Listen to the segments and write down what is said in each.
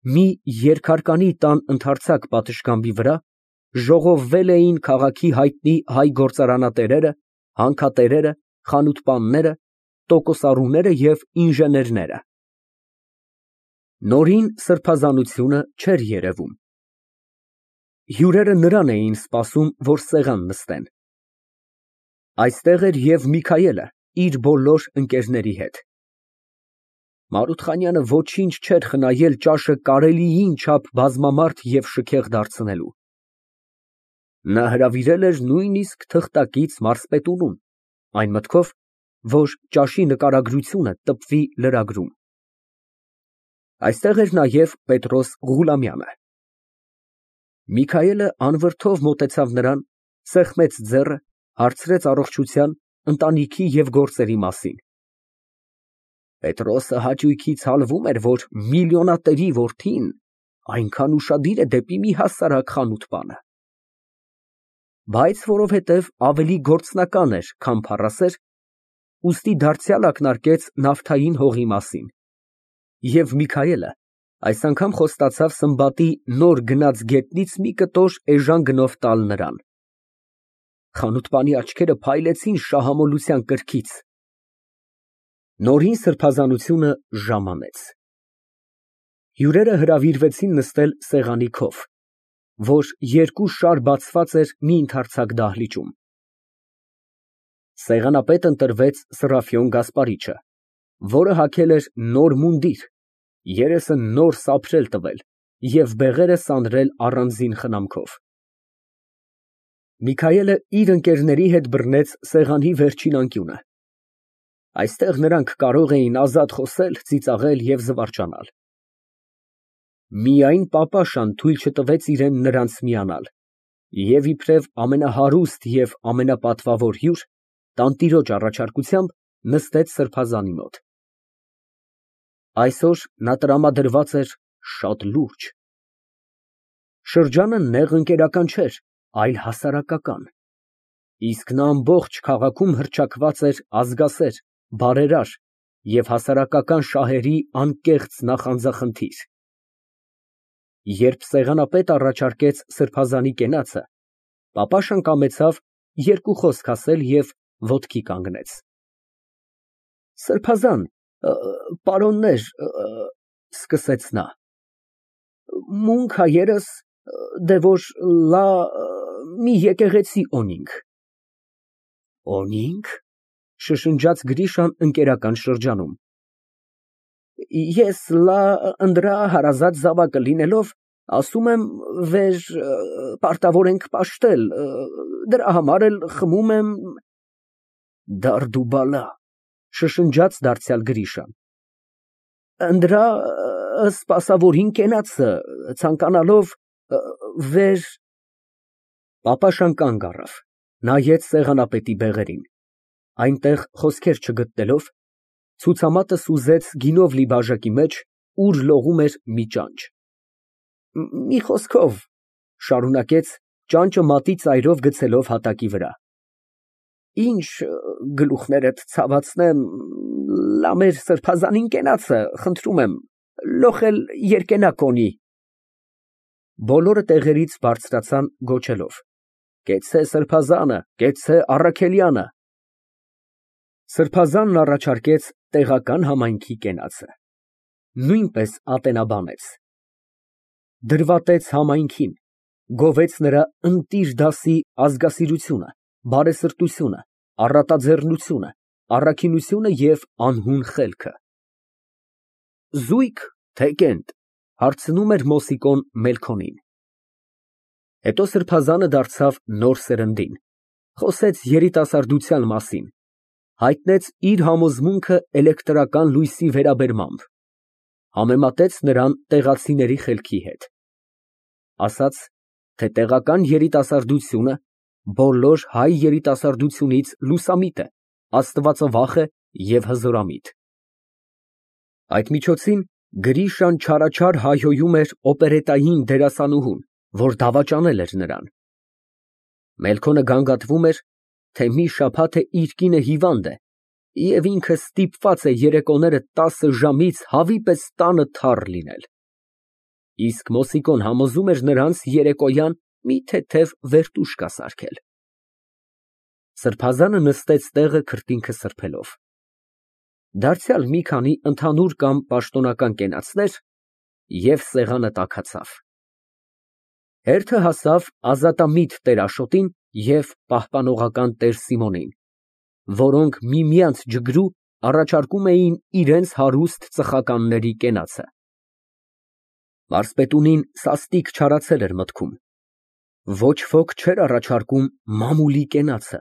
մի երկհարկանի տան ընդարձակ պատշգամբի վրա ժողովվել էին քաղաքի հայտնի հայ գործարանատերերը, հանքատերերը, խանութպանները, տոկոսառուները և ինժեներները։ Նորին սրբազանությունը չէր երևում։ Հյուրերը նրան էին սպասում, որ սեղան նստեն։ Այստեղ էր և Միքայելը իր բոլոր ընկերների հետ։ Մարութխանյանը ոչինչ չէր խնայել ճաշը կարելիին չափ բազմամարդ և շքեղ դարձնելու։ Նա հրավիրել էր նույնիսկ թղթակից մարզպետունուն, այն մտքով, որ ճաշի նկարագրությունը տպվի լրագրում։ Այստեղ էր նաև Պետրոս Ղուլամյանը։ Միքայելը անվրդով մոտեցավ նրան, սեղմեց ձեռը, հարցրեց առողջության, ընտանիքի և գործերի մասին։ Պետրոսը հաճույքից հալվում էր, որ միլիոնատերի որդին այնքան ուշադիր է դեպի մի հասարակ խանութպանը։ Բայց որովհետև ավելի գործնական էր, քան փառասեր, ուստի դարձյալ ակնարկեց նավթային հողի մասին, և Միքայելը այս անգամ խոստացավ Սմբատի նոր գնած գետնից մի կտոր էժան գնով տալ նրան։ Խանութպանի աչքերը փայլեցին շահամոլության կրքից։ Նորին սրբազանությունը ժամանեց։ Հյուրերը հրավիրվեցին նստել սեղանի քով, որ երկու շար բացված էր մի ընդարձակ դահլիճում։ Սեղանապետ ընտրվեց Սրափիոն Գասպարիչը, որը հագել էր նոր մունդիր, երեսը նոր սափրել տվել և բեղերը սանրել առանձին խնամքով։ Միքայելը իր ընկերների հետ բռնեց սեղանի վերջին անկյունը։ Այստեղ նրանք կարող էին ազատ խոսել, ծիծաղել և զվարճանալ։ Միայն պապաշան թույլ չտվեց իրան նրանց միանալ և իբրև ամենահարուստ և ամենապատվավոր հյուր, տանտիրոջ առաջարկությամբ նստեց սրբազանի մոտ։ Այսօր նա տրամադրված էր շատ լուրջ։ Շրջանը նեղ ընկերական չէր, այլ հասարակական, իսկ նա ամբողջ քաղաքում հռչակված էր ազգասեր, բարերար և հասարակական շահերի անկեղծ նախանձախնդիր։ Երբ սեղանապետը առաջարկեց սրբազանի կենացը, պապաշան կամեցավ երկու խոսք ասել և ոտքի կանգնեց։ Սրբազան, պարոններ, սկսեց նա, մունք հայերս, դե որ մի եկեղեցի օնինք։ Օնի՞նք, շշնջաց Գրիշան ընկերական շրջանում։ Ես ընդրա հարազատ զավակը լինելով, ասում եմ, պարտավոր ենք պաշտել, դրա համար էլ խմում եմ… Դարդուբալա, շշնջաց դարձյալ Գրիշան։ Ընդրա սպասավորին կենացը, ցանկանալով… Պապաշան կանգ առավ, նայեց սեղանապետի բեղերին, այնտեղ խոսքեր չգտնելով, ցուցամատը սուզեց գինով լի բաժակի մեջ, ուր լողում էր մի ճանճ։ Մի խոսքով, շարունակեց, ճանճը մատի ծայրով գցելով հատակի վրա, ինչ գլուխներդ ցավացնեմ, մեր սրբազանին կենացը, խնդրում եմ, լոխել երկենակ օնի։ Բոլորը տեղերից բարձրացան գոչելով. Կեցցե սրբազանը, կեցցե Առաքելյանը։ Սրբազանն առաջարկեց տեղական համայնքի կենացը, նույնպես ատենաբանեց, դրվատեց համայնքին, գովեց նրա ընտիր դասի ազգասիրությունը, բարեսրտությունը, առատաձեռնությունը, առաքինությունը և անհուն խելքը։ Զույգ, թե կենտ, հարցնում էր Մոսիկոն Մելքոնին։ Հետո սրբազանը դարձավ նոր սերնդին, խոսեց երիտասարդության մասին, հայտնեց իր համոզմունքը էլեկտրական լույսի վերաբերմամբ, համեմատեց նրան տեղացիների խելքի հետ, ասաց, թե տեղական երիտասարդությունը բոլոր հայ երիտասարդությունից լուսամիտ է, աստվածավախ է և հզորամիտ։ Այդ միջոցին Գրիշան չարաչար հայհոյում էր օպերետային դերասանուհուն, որ դավաճանել էր նրան։ Մելքոնը գանգատվում էր, թե մի շաբաթ է իր կինը հիվանդ է և ինքը ստիպված է երեկոները 10 ժամից հավի պես տանը թառ լինել։ Իսկ Մոսիկոն համոզում էր նրանց երեկոյան մի թեթև վերտուշ կասարքել։ Սրբազանը նստեց տեղը քրտինքը սրբելով։ Դարձյալ մի քանի ընդհանուր կամ պաշտոնական կենացներ, և սեղանը տաքացավ։ Հերթը հասավ ազատամիտ տեր Աշոտին և պահպանողական տեր Սիմոնին, որոնք միմյանց ջգրու առաջարկում էին իրենց հարուստ ծխականների կենացը։ Մարզպետունին սաստիկ չարացել էր մտքում։ Ոչ ոք չէր առաջարկում մամուլի կենացը։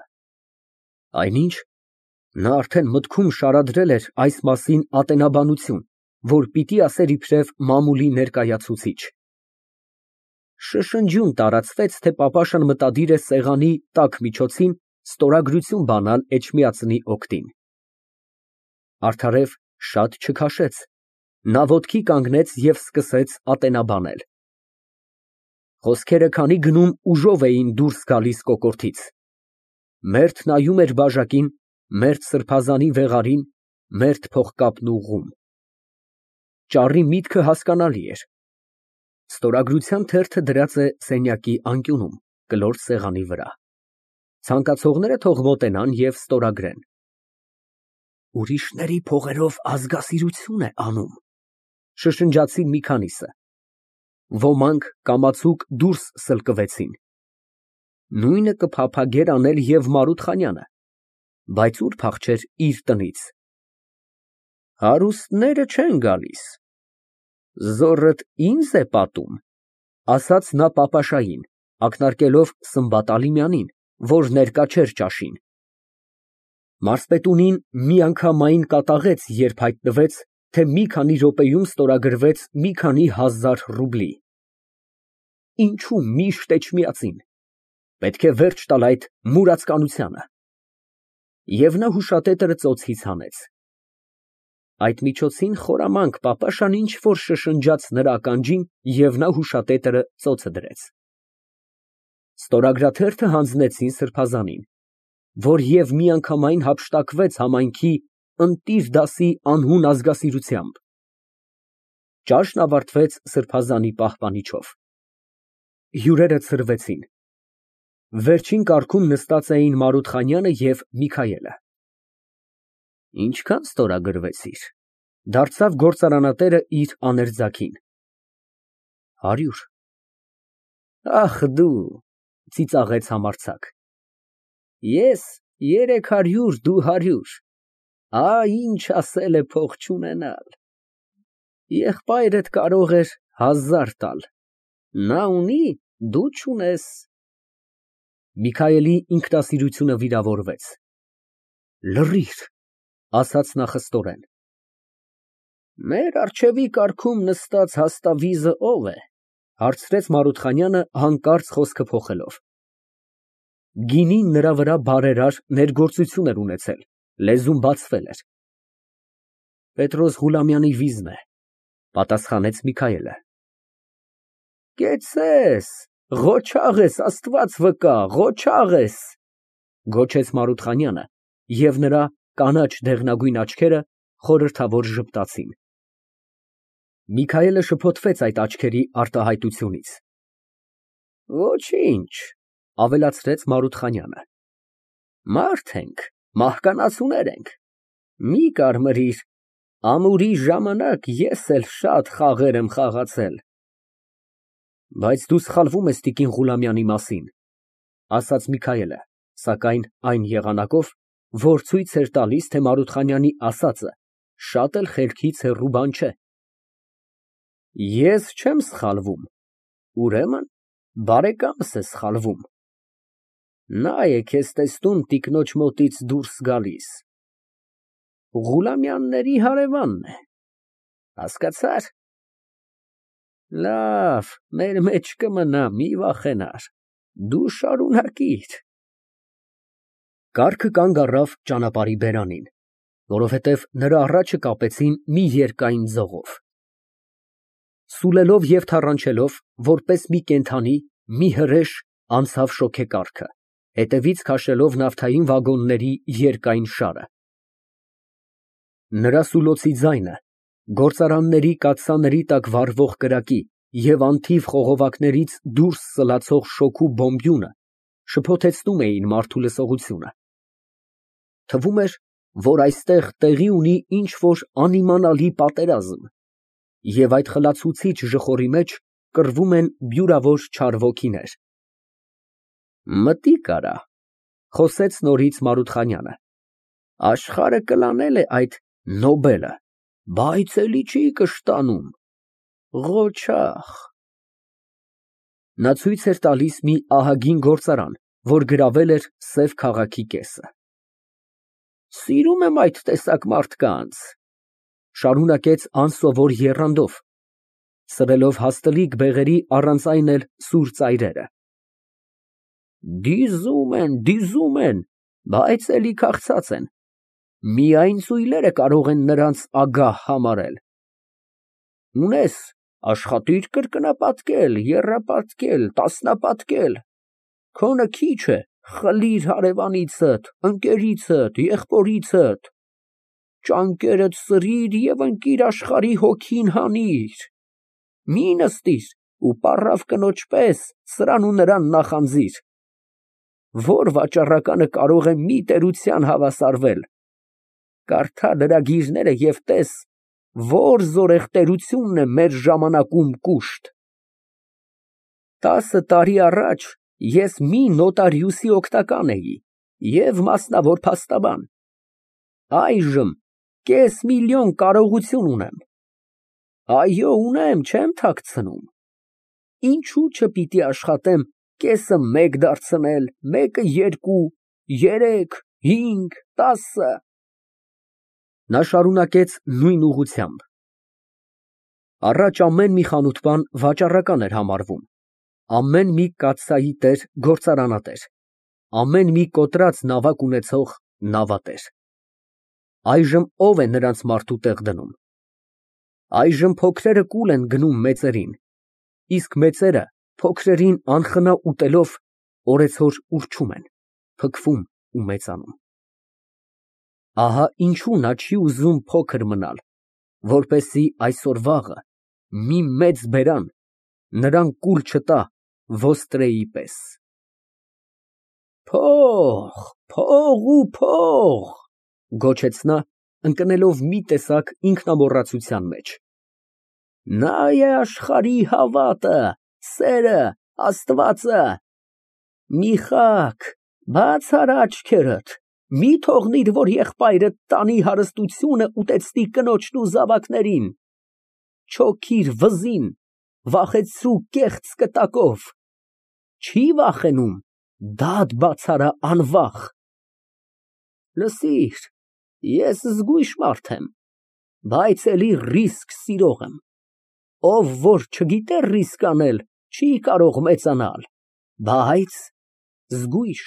Այնինչ, նա արդեն մտքում շարադրել էր այս մասին ատենաբանություն, որ պիտի ասեր իբրև մամուլի ներկայացուցիչ։ Շշնջյուն տարածվեց, թե պապաշան մտադիր է սեղանի տաք միջոցին ստորագրություն բանալ Էջմիածնի օգտին։ Արդարև շատ չքաշեց, նա ոտքի կանգնեց և սկսեց ատենաբանել։ Խոսքերը քանի գնում ուժով էին դուրս գալիս կոկորդից։ Մերթ նայում էր բաժակին, մերթ սրբազանի վեղարին, մերթ փողկապն ուղղում։ Ճառի միտքը հասկանալի էր։ Ստորագրության թերթը դրած է սենյակի անկյունում, կլոր սեղանի վրա։ Ցանկացողները թող մոտենան և ստորագրեն։ Ուրիշների փողերով ազգասիրություն է անում, շշնջացին մի քանիսը։ Ոմանք կամացուկ դուրս սլկվեցին։ Նույնը կփափագեր անել և Մարութխանյանը, բայց ուր փախչեր իր տնից։ Հարուստները չեն գալիս, զոռդ ինձ է պատում, ասաց նա պապաշային, ակնարկելով Սմբատ Ալիմյանին, որ ներկա չէր ճաշին։ Մարզպետունին միանգամայն կատաղեց, երբ հայտնվեց, թե մի քանի րոպեում ստորագրվեց մի քանի հազար ռուբլի։ Ինչու միշտ Էջմիածին, պետք է վերջ տալ այդ մուրացկանությանը։ Եվ նա հուշատետրը ծոցից հանեց։ Այդ միջոցին խորամանկ պապաշան ինչ֊որ շշնջաց նրա ականջին, և նա հուշատետրը ծոցը դրեց։ Ստորագրաթերթը հանձնեցին սրբազանին, որ և միանգամայն հափշտակվեց համայնքի ընտիր դասի անհուն ազգասիրությամբ։ Ճաշն ավարտվեց սրբազանի պահպանիչով։ Հյուրերը ցրվեցին։ Վերջին կարգում նստած էին Մարութխանյանը և Միքայելը։ Ինչքան ստորագրվեցիր, դարձավ գործարանատերը իր աներձակին։ 100։ Ախ դու, ծիծաղեց համարձակ, ես 300, դու 100, ինչ ասել է փող չունենալ։ Եղբայրդ կարող էր 1000 տալ, նա ունի, դու չունես։ Միքայելի ինքնասիրությունը վիրավորվեց։ Լռիր, ասաց նա խստորեն։ Մեր առջևի կարգում նստած հաստավիզը ո՞վ է, հարցրեց Մարութխանյանը հանկարծ խոսքը փոխելով։ Գինին նրա վրա բարերար ներգործություն էր ունեցել, լեզուն բացվել էր։ Պետրոս Ղուլամյանի վիզն է, պատասխանեց Միքայելը։ Կեցես, ղոչաղ ես, Աստված վկա, ղոչաղ ես, գոչեց Մարութխանյանը, և նրա կանաչ դեղնագույն աչքերը խորհրդավոր ժպտացին։ Միքայելը շփոթվեց այդ աչքերի արտահայտությունից։ Ոչինչ, ավելացրեց Մարութխանյանը, մարդ ենք, մահկանացուներ ենք, մի կարմրիր, ամուրի ժամանակ ես էլ շատ խաղեր եմ խաղացել։ Բայց դու սխալվում ես տիկին Ղուլամյանի մասին, ասաց Միքայելը, սակայն այն եղանակով, որ ցույց էր տալիս, թե Մարութխանյանի ասածը շատ էլ խելքից հեռու բան չէ։ Ես չեմ սխալվում, ուրեմն բարեկամս է սխալվում։ Նա է քեզ տեսնում տիկնոջ մոտից դուրս գալիս, Ղուլամյանների հարևանն է, հասկացա՞ր։ Լավ, մեր մեջ կմնա, մի վախենար, դու շարունակիր։ Կառքը կանգ առավ ճանապարհի բերանին, որովհետև նրա առաջը կապեցին մի երկայն ձողով։ Սուլելով և թառանչելով, որպես մի կենդանի, մի հրեշ անցավ շոգեկառքը, հետևից քաշելով նավթային վագոնների երկայն շարը։ Նրա սուլոցի ձայնը, գործարանների կաթսաների տակ վառվող կրակի, և անթիվ խողովակներից դուրս սլացող շոգու բոմբյունը շփոթեցնում էին մարդու լսողությունը։ Թվում էր, որ այստեղ տեղի ունի ինչ֊որ անիմանալի պատերազմ, և այդ խլացուցիչ ժխորի մեջ կռվում են բյուրավոր չար ոգիներ։ Մտիկ արա, խոսեց նորից Մարութխանյանը, աշխարհը կլանել է այդ Նոբելը, բայց էլի չի կշտանում, ղոչաղ։ Նա ցույց էր տալիս մի ահագին գործարան, որ գրավել էր Սև քաղաքի կեսը։ Սիրում եմ այդ տեսակ մարդկանց, շարունակեց անսովոր եռանդով, սրելով հաստլիկ բեղերի առանց այն էլ սուր ծայրերը։ Դիզում են, բայց էլի քաղցած են, միայն ծույլերը կարող են նրանց ագահ համարել։ Ունես, աշխատիր կրկնապատկել, եռապատկել, տասնապատկել, քոնը քիչ է, խլիր հարևանիցդ, ընկերիցդ, եղբորիցդ, ճանկերդ սրիր և ընկիր աշխարհի հոգին հանիր, մի նստիր ու պառավ կնոջ պես սրան ու նրան նախանձիր, որ վաճառականը կարող է մի տերության հավասարվել, կարդա լրագիրները և տես, որ զորեղ տերությունն է մեր ժամանակում կուշտ։ 10 տարի առաջ ես մի նոտարիուսի օգնական էի և մասնավոր փաստաբան, այժմ կես միլիոն կարողություն ունեմ, այո, ունեմ, չեմ թաքցնում, ինչու չպիտի աշխատեմ կեսը մեկ դարձնել, մեկը երկու, երեք, 5, 10… Նա շարունակեց նույն ուղղությամբ. առաջ ամեն մի խանութպան վաճառական էր համարվում, ամեն մի կաթսայի տեր գործարանատեր, ամեն մի կոտրած նավակ ունեցող նավատեր։ Այժմ ո՞վ է նրանց մարդու տեղ դնում։ Այժմ փոքրերը կուլ են գնում մեծերին, իսկ մեծերը փոքրերին անխնա ուտելով օրեցօր ուռչում են, փքվում ու մեծանում։ Ահա ինչու նա չի ուզում փոքր մնալ, որպեսզի այսօր֊վաղը մի մեծ բերան նրան կուլ չտա ոստրեի պես։ Փող, գոչեց նա, ընկնելով մի տեսակ ինքնամոռացության մեջ։ Նա է աշխարհի հավատը, սերը, Աստվածը։ Միխակ, բաց արա աչքերդ, մի թողնիր, որ եղբայրդ տանի հարստությունը ուտեցնի կնոջն ու զավակներին, չոքիր վզին, վախեցրու կեղծ կտակով, չի վախենում, դադ բաց արա անվախ։ Լսիր, ես զգույշ մարդ եմ, բայց էլի ռիսկ սիրող եմ, ով որ չգիտե ռիսկ անել, չի կարող մեծանալ, բայց զգույշ,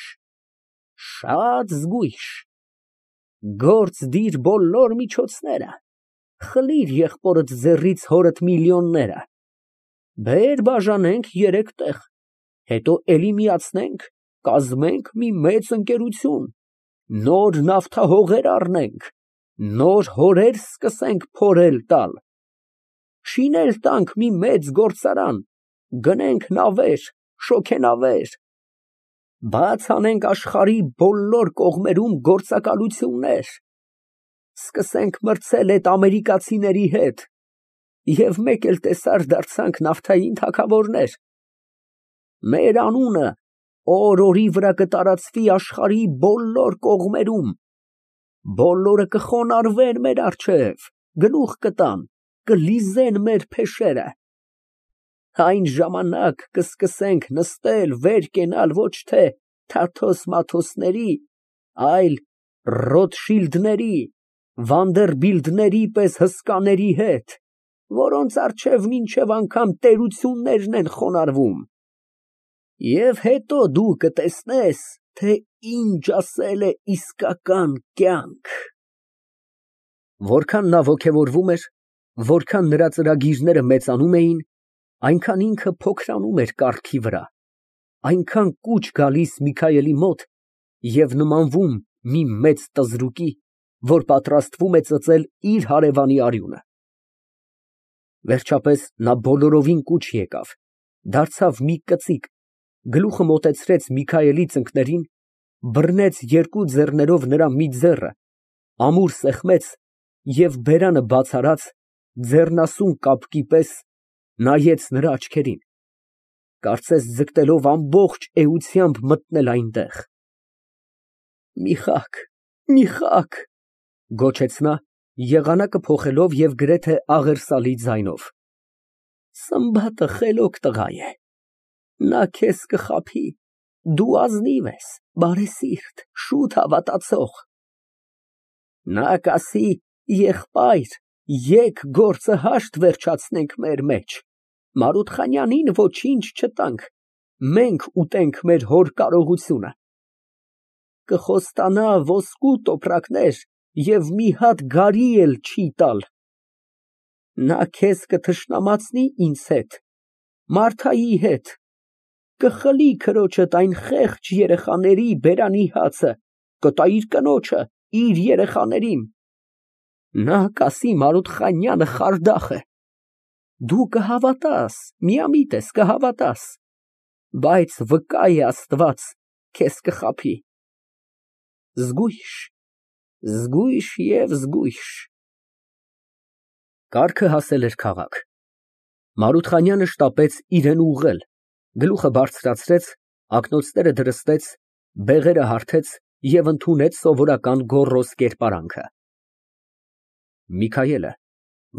շատ զգույշ, գործ դիր բոլոր միջոցները, խլիր եղբորդ ձեռից հորդ միլիոնները, բեր բաժանենք 3 տեղ, հետո էլի միացնենք, կազմենք մի մեծ ընկերություն, նոր նավթահողեր առնենք, նոր հորեր սկսենք փորել տալ, շինել տանք մի մեծ գործարան, գնենք նավեր, շոգենավեր, բաց անենք աշխարհի բոլոր կողմերում գործակալություններ, սկսենք մրցել էդ ամերիկացիների հետ և մեկ էլ տեսար դարձանք նավթային թագավորներ, մեր անունը օր֊օրի վրա կտարածվի աշխարհի բոլոր կողմերում, բոլորը կխոնարհվեն մեր առջև, գլուխ կտան, կլիզեն մեր փեշերը, այն ժամանակ կսկսենք նստել, վեր կենալ ոչ թե Թաթոս֊Մաթոսների, այլ Ռոտշիլդների, Վանդերբիլդների պես հսկաների հետ, որոնց առջև մինչև անգամ տերություններն են խոնարհվում, և հետո դու կտեսնես, թե ինչ ասել է իսկական կյանք։ Որքան նա ոգևորվում էր, որքան նրա ծրագիրները մեծանում էին, այնքան ինքը փոքրանում էր կառքի վրա, այնքան կուչ գալիս Միքայելի մոտ և նմանվում մի մեծ տզրուկի, որ պատրաստվում է ծծել իր հարևանի արյունը։ Վերջապես նա բոլորովին կուչ եկավ, դարձավ մի կծիկ, գլուխը մոտեցրեց Միքայելի ծնկներին, բռնեց երկու ձեռներով նրա մի ձեռը, ամուր սեղմեց և բերանը բաց արած, ձեռնասուն կապկի պես նայեց նրա աչքերին, կարծես ձգտելով ամբողջ էությամբ մտնել այնտեղ։ Միխայել, գոչեց նա, եղանակը փոխելով և գրեթե աղերսալի ձայնով, Սմբատը խելոք տղա է, նա քեզ կխաբի, դու ազնիվ ես, բարեսիրտ, շուտ հավատացող։ Նա կասի. եղբայր, եկ գործը հաշտ վերջացնենք մեր մեջ, Մարութխանյանին ոչինչ չտանք, մենք ուտենք մեր հոր կարողությունը։ Կխոստանա ոսկու տոպրակներ և մի հատ գարի էլ չի տալ։ Նա քեզ կթշնամացնի ինձ հետ, Մարթայի հետ, կխլի քրոջդ այն խեղճ երեխաների բերանի հացը, կտա իր կնոջը, իր երեխաներին։ Նա կասի Մարութխանյանը խարդախ է, դու կհավատաս, միամիտ ես կհավատաս, բայց վկա է Աստված, քեզ կխաբի։ Զգույշ, զգույշ և զգույշ։ Կառքը հասել էր քաղաք։ Մարութխանյանը շտապեց իրան ուղղել, գլուխը բարձրացրեց, ակնոցները դրստեց, բեղերը հարթեց և ընդունեց սովորական գոռոզ կերպարանքը։ Միքայելը,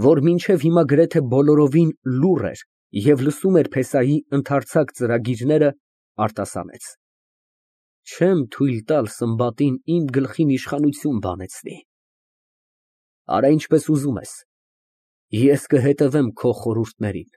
որ մինչև հիմա գրեթե բոլորովին լուռ էր և լսում էր փեսայի ընդարձակ ծրագիրները, արտասանեց. Չեմ թույլ տալ Սմբատին իմ գլխին իշխանություն բանեցնի։ Արա ինչպես ուզում ես, ես կհետևեմ քո խորհուրդներին։